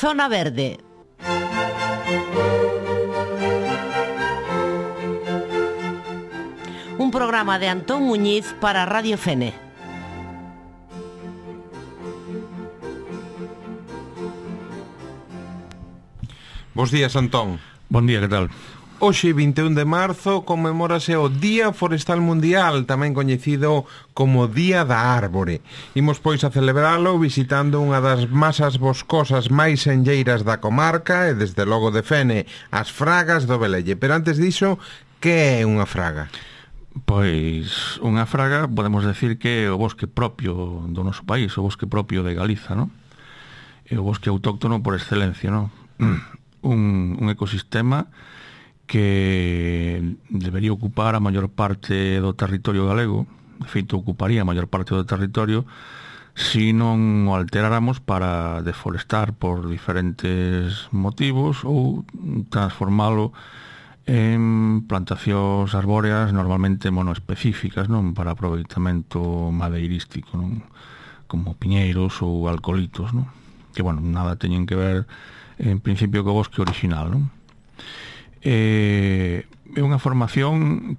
Zona Verde. Un programa de Antón Muñiz para Radio Fene. Bos días, Antón. Bon día, que tal? Hoxe, 21 de marzo, conmemórase o Día Forestal Mundial, tamén coñecido como Día da Árbore. Imos, pois, a celebralo visitando unha das masas boscosas máis enlleiras da comarca e, desde logo de Fene, as Fragas do Velelle. Pero antes diso, que é unha fraga? Pois unha fraga podemos decir que é o bosque propio do noso país, o bosque propio de Galiza, non? É o bosque autóctono por excelencia, non? Un ecosistema que debería ocupar a maior parte do territorio galego. De feito, ocuparía a maior parte do territorio se non o alteráramos para deforestar por diferentes motivos ou transformalo en plantacións arbóreas normalmente monoespecíficas, non, para aproveitamento madeirístico, non, como piñeiros ou alcolitos, non, que, bueno, nada teñen que ver en principio co bosque original, non. É unha formación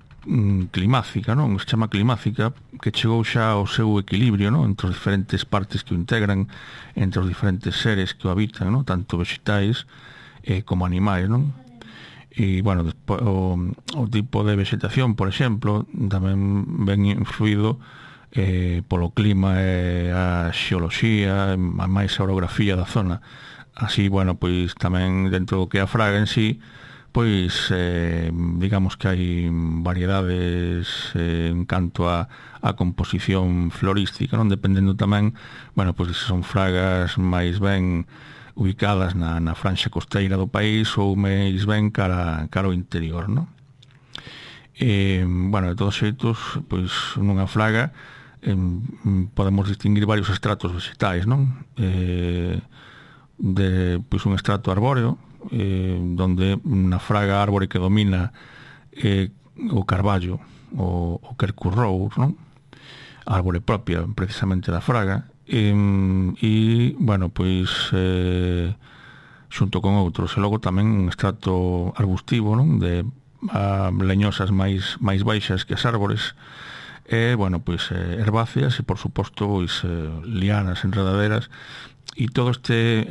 climática, non, se chama climática, que chegou xa ao seu equilibrio, non, entre as diferentes partes que o integran, entre os diferentes seres que o habitan, non, tanto vegetais como animais, non. E, bueno, o tipo de vegetación, por exemplo, tamén ven influído polo clima e a xeoloxía, a máis a orografía da zona. Así, bueno, pois tamén dentro do que é a fraga en sí, pois digamos que hai variedades en canto a composición florística, non, dependendo tamén, bueno, pois se son fragas máis ben ubicadas na franxa costeira do país ou máis ben cara ao interior, non? Bueno, de todos xeitos, pois nunha fraga podemos distinguir varios estratos vegetais, non? Pois un estrato arbóreo, donde na fraga árbore que domina o carballo, o quercus rous, non? A árbore propia precisamente da fraga. E, bueno, pois xunto con outros, e logo tamén un estrato arbustivo, non, de leñosas máis baixas que as árbores, e, bueno, pois herbáceas e, por suposto, pois lianas, enredaderas, e todo este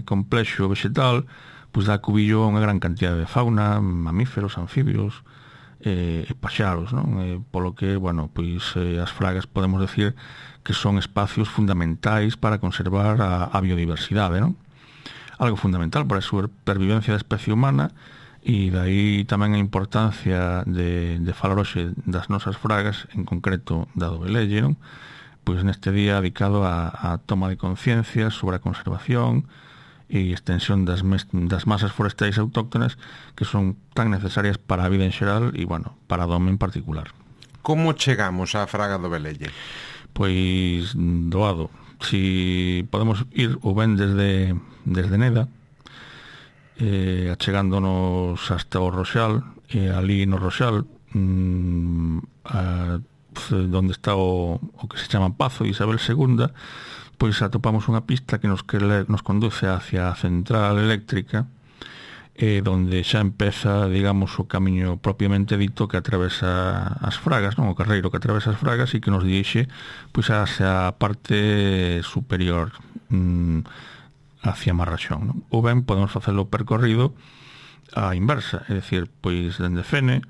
complexo vegetal pois dá cubillo a unha gran cantidade de fauna, mamíferos, anfibios e paxaros, non? Polo que, bueno, pois as fragas podemos decir que son espacios fundamentais para conservar a biodiversidade, non? Algo fundamental para a supervivencia da especie humana, e dai tamén a importancia de falar hoxe das nosas fragas, en concreto da do Velelle, non? Pois neste día dedicado a toma de conciencia sobre a conservación e extensión das masas forestais autóctonas, que son tan necesarias para a vida en xeral e, bueno, para o home en particular. Como chegamos á fraga do Velelle? Pois doado. Si podemos ir ou ben desde Neda, achegándonos hasta o Roxal, e ali no Roxal, donde está o que se chama Pazo de Isabel II, pois atopamos unha pista que nos conduce hacia a central eléctrica, donde xa empeza, digamos, o camiño propiamente dito que atravesa as fragas, non, o carreiro que atravesa as fragas, e que nos dirixe pois hacia a parte superior, hacia Marraxón, non? Ou ben podemos facelo percorrido á inversa, é dicir, pois dende Fene,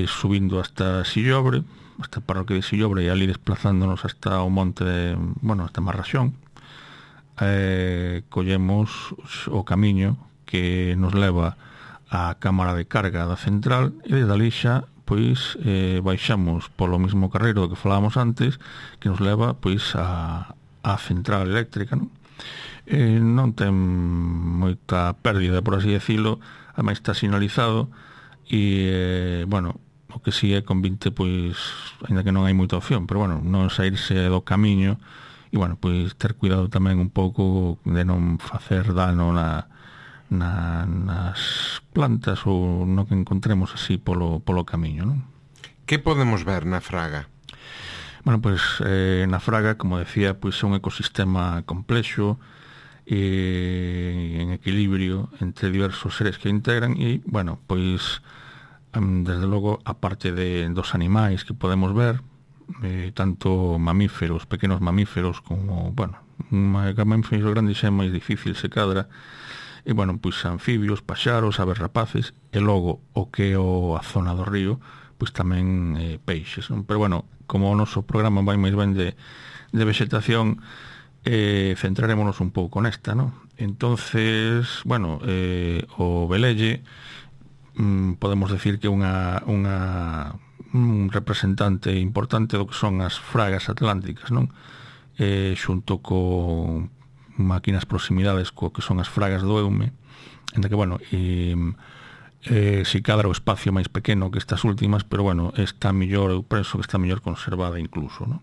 subindo hasta Sillobre, hasta a parroquia de Sillobre, e ali desplazándonos hasta o monte de, bueno, hasta Marraxón, collemos o camiño que nos leva á cámara de carga da central, e desde ali xa pois baixamos polo mesmo carreiro do que falábamos antes, que nos leva pois á central eléctrica, non? Non ten moita pérdida, por así decirlo, ademais está sinalizado, e bueno, o que si é con 20, pois ainda que non hai moita opción, pero bueno, non saírse do camiño, e bueno, pois ter cuidado tamén un pouco de non facer dano nas plantas ou no que encontremos así polo camiño, non? Que podemos ver na fraga? Bueno, pois na fraga, como decía, pois é un ecosistema complexo en equilibrio entre diversos seres que integran e, bueno, pois desde logo, aparte dos animais que podemos ver, tanto mamíferos, pequenos mamíferos como, bueno, mamíferos grandes é máis difícil se cadra, e, bueno, pois anfibios, paxaros, aves rapaces, e logo o que é a zona do río, pois tamén peixes, non? Pero, bueno, como o noso programa vai máis ben de vegetación, centrarémonos un pouco nesta, non? Entonces, bueno, o velelle podemos decir que é un representante importante do que son as fragas atlánticas, non? Xunto con máquinas proximidades co que son as fragas do Eume, en que, bueno, si cadra o espacio máis pequeno que estas últimas, pero, bueno, está mellor, eu penso que está mellor conservada incluso, non?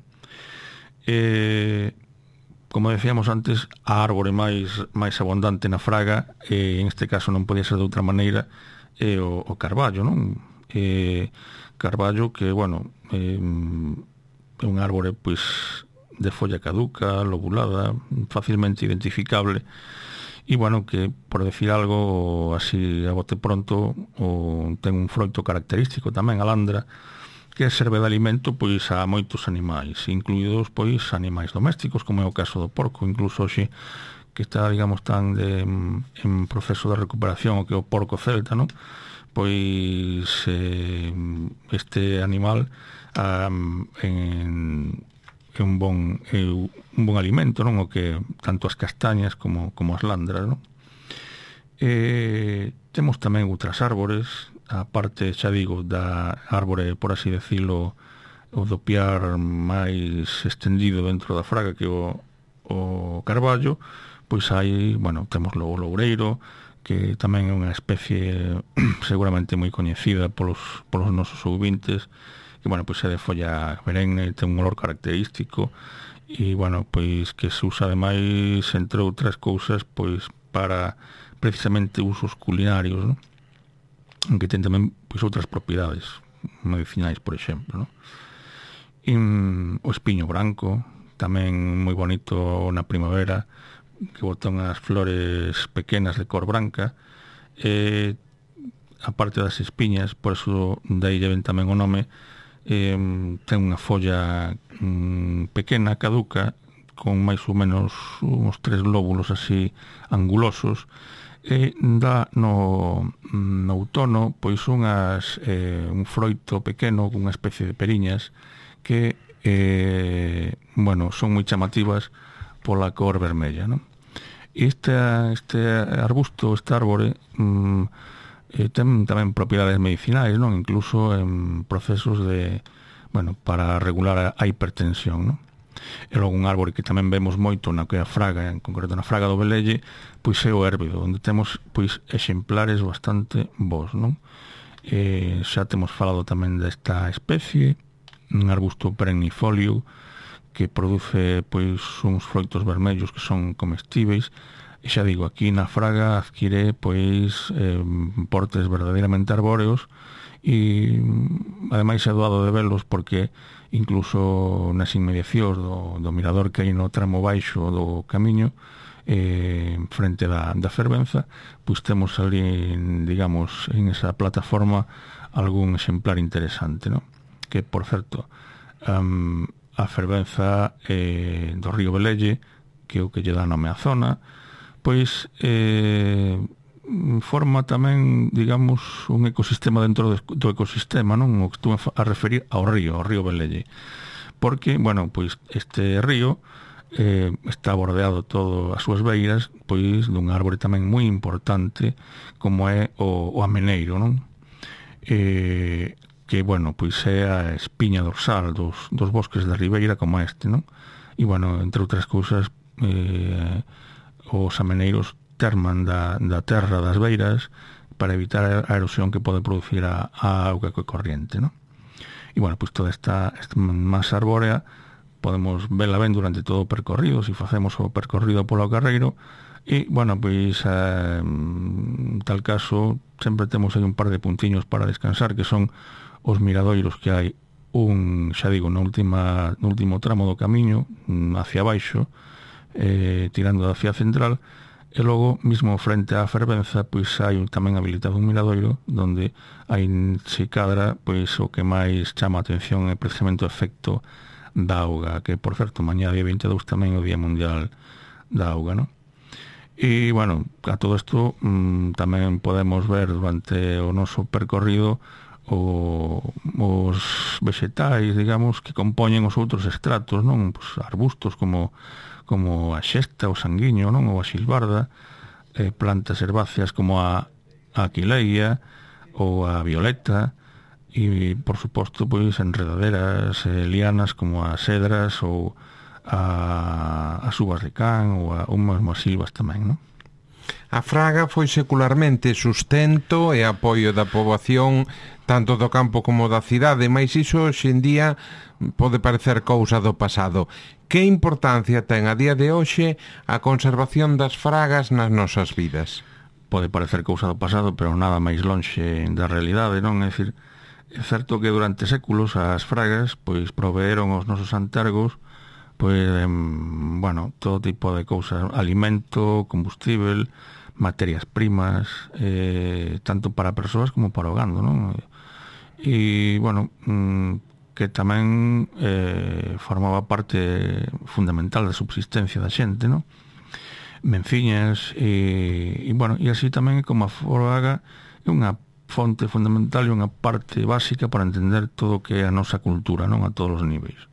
Como decíamos antes, a árbore máis abundante na fraga, en este caso non podía ser de outra maneira, é o carballo, non? Carballo que, bueno, é un árbore pois de folla caduca, lobulada, facilmente identificable, e, bueno, que, por decir algo así a bote pronto, ten un froito característico tamén, a landra, que serve de alimento pois a moitos animais, incluídos pois animais domésticos, como é o caso do porco, incluso hoxe que está, digamos, tan en proceso de recuperación o que é o porco celta, non? Pois este animal é un bon alimento, non? O que tanto as castañas como as landras, non? Temos tamén outras árbores, a parte, xa digo, da árbore, por así decirlo, o do piar máis extendido dentro da fraga que o carballo, pois hai, bueno, temos o loureiro, que tamén é unha especie seguramente moi coñecida polos nosos ouvintes, que, bueno, pois é de folla perenne, ten un olor característico, e, bueno, pois que se usa ademais, entre outras cousas, pois para precisamente usos culinarios, non? Que ten tamén pois outras propiedades medicinais, por exemplo, non? E o espiño branco, tamén moi bonito na primavera, que botan as flores pequenas de cor branca, a parte das espiñas, por eso daí ven tamén o nome, ten unha folla pequena, caduca, con máis ou menos uns 3 lóbulos así angulosos, e dá no outono pois un froito pequeno con unha especie de periñas que bueno, son moi chamativas pola cor vermella, non? Este arbusto, este árbore ten tamén propiedades medicinais, non? Incluso en procesos de, bueno, para regular a hipertensión, non? E logo un árbore que tamén vemos moito na que é a fraga, en concreto na fraga do velelle, pois é o érbido, onde temos pois exemplares bastante bons, non? Xa temos falado tamén desta especie, un arbusto perennifolio que produce pois uns froitos vermellos que son comestíveis, e xa digo, aquí na fraga adquire pois portes verdadeiramente arbóreos, e ademais é doado de velos porque incluso nas inmediacións do mirador que hai no tramo baixo do camiño, frente da fervenza, pois temos ali, digamos, en esa plataforma algún exemplar interesante, non? Que, por certo, a fervenza do río Velelle, que é o que lle dá nome á zona, pois forma tamén, digamos, un ecosistema dentro do ecosistema, non? O que estou a referir ao río Velelle. Porque, bueno, pois este río está bordeado todo as súas beiras pois dun árbore tamén moi importante como é o ameneiro, non? Que, bueno, pois é a espiña dorsal dos bosques da ribeira como este, non? E, bueno, entre outras cousas, os ameneiros terman da terra das beiras para evitar a erosión que pode producir a auga corriente, non? E, bueno, pois toda esta masa arbórea podemos vela ben durante todo o percorrido, se facemos o percorrido polo carreiro, e, bueno, pois en tal caso sempre temos aí un par de puntiños para descansar, que son os miradoiros que hai xa digo, no último tramo do camiño hacia baixo, tirando da Cía Central, e logo, mesmo frente á Fervenza, pois hai tamén habilitado un miradoiro onde aí se cadra, pois o que máis chama a atención é precisamente o efecto da auga, que, por certo, mañá día 22 tamén é o Día Mundial da Auga, non? E, bueno, a todo isto tamén podemos ver durante o noso percorrido os vegetais, digamos, que compoñen os outros estratos, non? Pues arbustos como a xesta, o sanguiño, non? Ou a xilbarda, plantas herbáceas como a aquileia ou a violeta, e, por suposto, pois enredaderas, lianas como as cedras ou as uvas de can ou as silvas tamén, non? A fraga foi secularmente sustento e apoio da poboación tanto do campo como da cidade, mas iso hoxe en día pode parecer cousa do pasado. Que importancia ten a día de hoxe a conservación das fragas nas nosas vidas? Pode parecer cousa do pasado, pero nada máis lonxe da realidade, non? É dicir, é certo que durante séculos as fragas pois proveeron aos nosos antergos pois, bueno, todo tipo de cousas, alimento, combustible, materias primas, tanto para persoas como para o gando, non? E, bueno, que tamén formaba parte fundamental da subsistencia da xente, non? Menciñas e bueno, e así tamén como a fraga é unha fonte fundamental e unha parte básica para entender todo o que é a nosa cultura, non? A todos os niveis.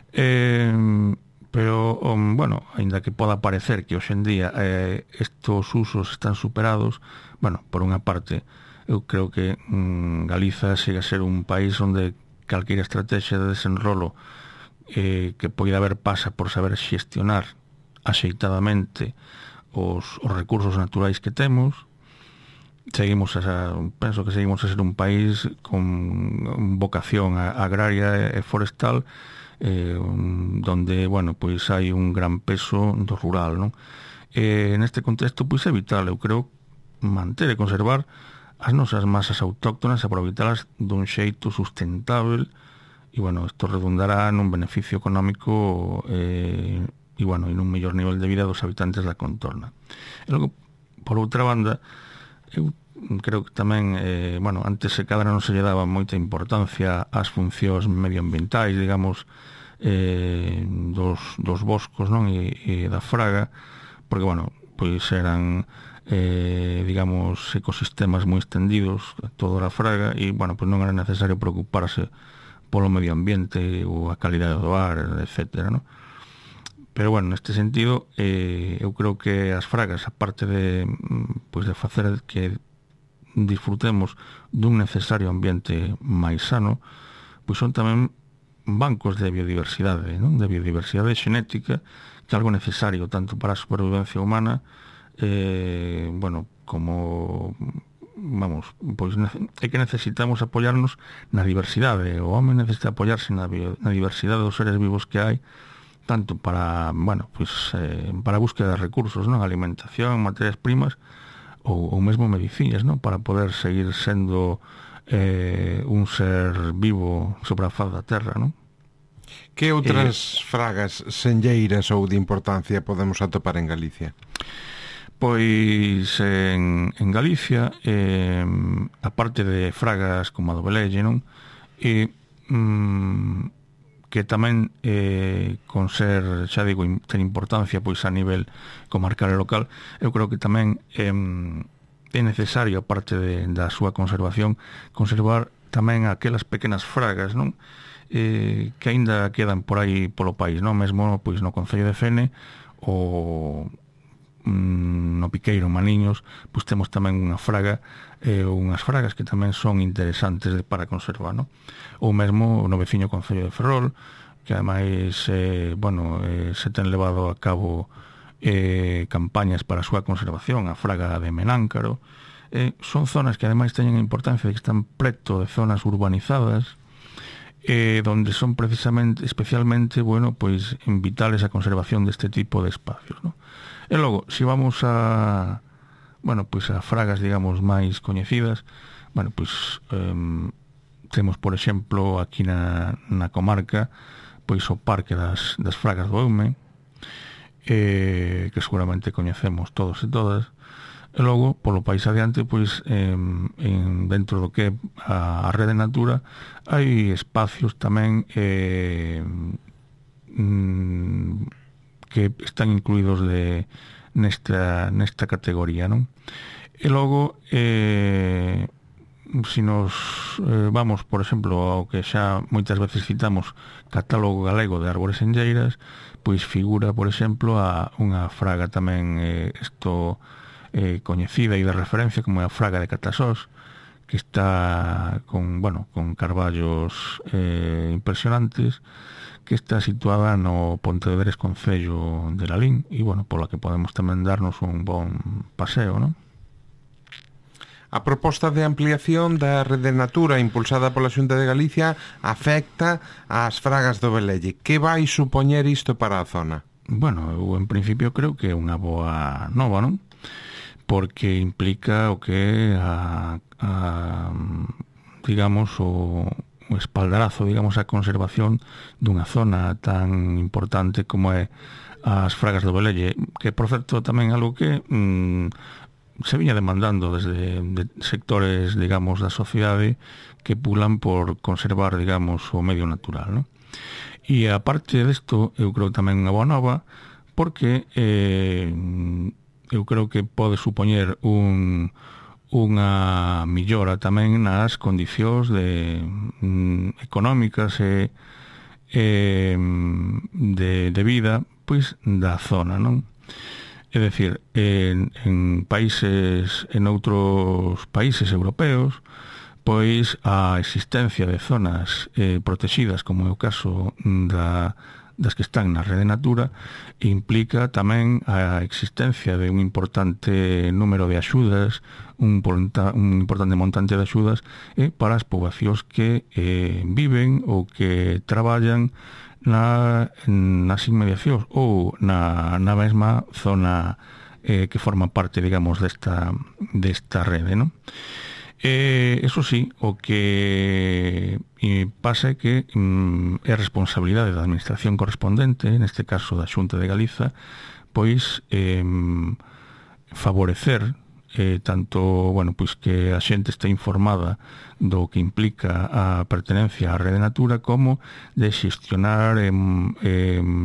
Pero, bueno, aínda que poda parecer que hoxe en día estos usos están superados, bueno, por unha parte eu creo que Galiza siga a ser un país onde calquera estrategia de desenrolo que poida haber pasa por saber xestionar axeitadamente os recursos naturais que temos. Penso que seguimos a ser un país con vocación agraria e forestal, donde, bueno, pois hai un gran peso do rural, non? Neste contexto, pois é vital, eu creo, manter e conservar as nosas masas autóctonas, aproveitalas dun xeito sustentable, e, bueno, isto redundará nun beneficio económico e, bueno, en un mellor nivel de vida dos habitantes da contorna. E logo, por outra banda, eu creo que tamén, bueno, antes se cadra non se lle daba moita importancia ás funcións medioambientais, digamos, dos boscos, non? E da fraga, porque, bueno, pois eran, digamos, ecosistemas moi extendidos, toda a fraga, e, bueno, pois non era necesario preocuparse polo medio ambiente ou a calidade do ar, etcétera, non? Pero, bueno, neste sentido, eu creo que as fragas, aparte de, pois, de facer que disfrutemos dun necesario ambiente máis sano, pois son tamén bancos de biodiversidade, non? De biodiversidade xenética, que é algo necesario tanto para a supervivencia humana, bueno, como, vamos, pois é que necesitamos apoiarnos na diversidade. O home necesita apoiarse na diversidade dos seres vivos que hai, tanto para, bueno, pois, para a búsqueda de recursos, non? Alimentación, materias primas, ou mesmo medicinas, non? Para poder seguir sendo un ser vivo sobre a faz da terra, non? Que outras fragas senlleiras ou de importancia podemos atopar en Galicia? Pois en Galicia, aparte de fragas como a do velelle, non? Que tamén con ser, xa digo, ten importancia pois a nivel comarcal e local, eu creo que tamén é necesario, aparte da súa conservación, conservar tamén aquelas pequenas fragas, non? Que aínda quedan por aí polo país, non? Mesmo pois no concello de Fene ou no Piqueiro, Maniños, pois temos tamén unha fraga, unhas fragas que tamén son interesantes para conservar, non? Ou mesmo no veciño concello de Ferrol, que ademais, bueno, se ten levado a cabo campañas para a súa conservación, a fraga de Menáncaro. Son zonas que ademais teñen a importancia de que están preto de zonas urbanizadas, donde son precisamente, especialmente, bueno, pois vitales a conservación deste tipo de espacios, non? E logo, se vamos a, bueno, pois a fragas, digamos, máis coñecidas, bueno, pois temos, por exemplo, aquí na comarca, pois o Parque das Fragas do Eume, que seguramente coñecemos todos e todas. E logo, polo país adiante, pois dentro do que a Rede Natura hai espacios tamén que están incluídos nesta categoría, non? E logo, se nos vamos, por exemplo, ao que xa moitas veces citamos, Catálogo Galego de Árbores enlleiras, pois figura, por exemplo, a unha fraga tamén coñecida e de referencia como é a fraga de Catasós, que está con carballos impresionantes, que está situada no Pontevedrés concello de Lalín e, pola que podemos tamén darnos un bon paseo, non? A proposta de ampliación da Rede Natura impulsada pola Xunta de Galicia afecta ás fragas do Velelle. Que vai supoñer isto para a zona? Eu en principio creo que é unha boa nova, non? Porque implica o que digamos, o espaldarazo, digamos, a conservación dunha zona tan importante como é as fragas do Velelle, que, por certo, tamén algo que se viña demandando desde sectores, digamos, da sociedade que pulan por conservar, digamos, o medio natural, non? E aparte desto, eu creo tamén unha boa nova, porque eu creo que pode supoñer unha millora tamén nas condicións económicas e de vida, pois, da zona, non? É dicir, en outros países europeos, pois a existencia de zonas protegidas, como é o caso das que están na Rede Natura, implica tamén a existencia de un importante número de axudas, un importante montante de axudas para as poboacións que viven ou que traballan nas inmediacións ou na mesma zona que forma parte, digamos, desta rede, non? Eso sí, o que pasa é que é responsabilidade da administración correspondente, neste caso da Xunta de Galiza, pois favorecer tanto, pois que a xente este informada do que implica a pertenencia á Rede Natura, como de xestionar,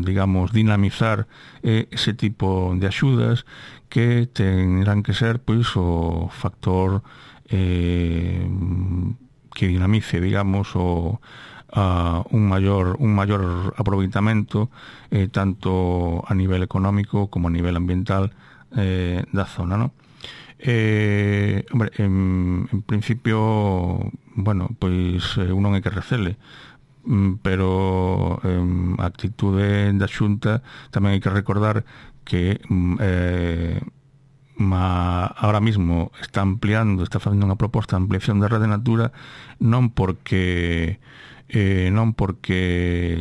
digamos, dinamizar ese tipo de axudas que tendrán que ser, pois, o factor que dinamice, digamos, un maior aproveitamento tanto a nivel económico como a nivel ambiental da zona, non? En principio, pois un non é que recele, pero a actitude da Xunta tamén hai que recordar que ahora mismo está facendo unha proposta de ampliación da Rede Natura non porque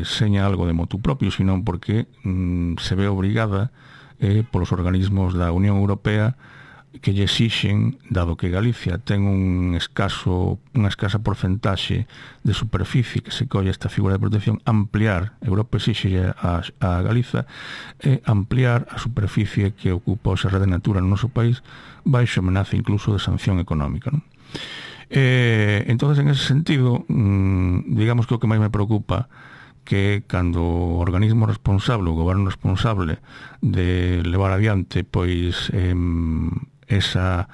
seña algo de motu propio, sino porque se ve obrigada polos organismos da Unión Europea que lle exixen, dado que Galicia ten unha escasa porcentaxe de superficie que se colle esta figura de protección, ampliar, Europa exixe a Galiza ampliar a superficie que ocupa a Rede Natura no noso país, baixo amenaza incluso de sanción económica, non? Entonces, en ese sentido, digamos que o que máis me preocupa que cando o organismo responsable, o goberno responsable de levar adiante pois esa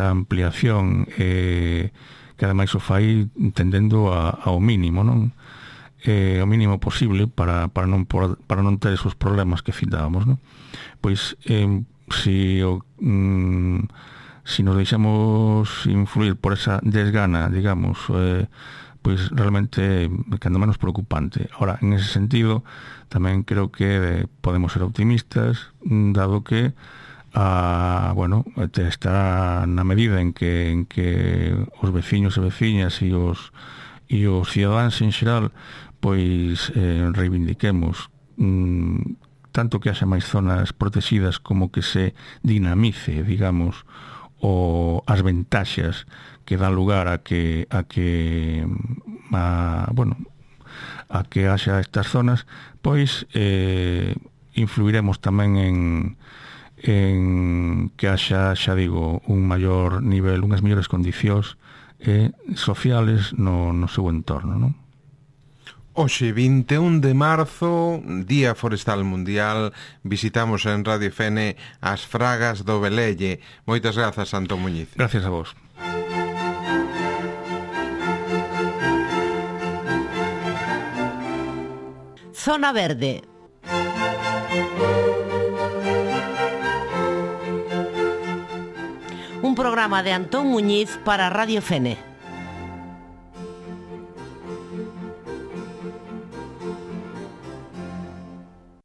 ampliación que ademais o fai tendendo ao mínimo, non? O mínimo posible para non ter esos problemas que citábamos, non? Pois se nos deixamos influir por esa desgana, digamos, pois realmente cando menos preocupante. Ahora, en ese sentido, tamén creo que podemos ser optimistas, dado que está na medida en que os veciños e veciñas e os cidadáns en xeral pois reivindiquemos tanto que haxa máis zonas protegidas como que se dinamice, digamos, as ventaxas que dan lugar a que haxa estas zonas, pois influiremos tamén en que haxa, xa digo, un maior nivel, unhas mellores condicións sociales no seu entorno, non? Hoxe, 21 de marzo, Día Forestal Mundial, visitamos en Radio Fene as fragas do Velelle. Moitas grazas, Antón Muñiz. Gracias a vos. Zona Verde. Un programa de Antón Muñiz para Radio Fene.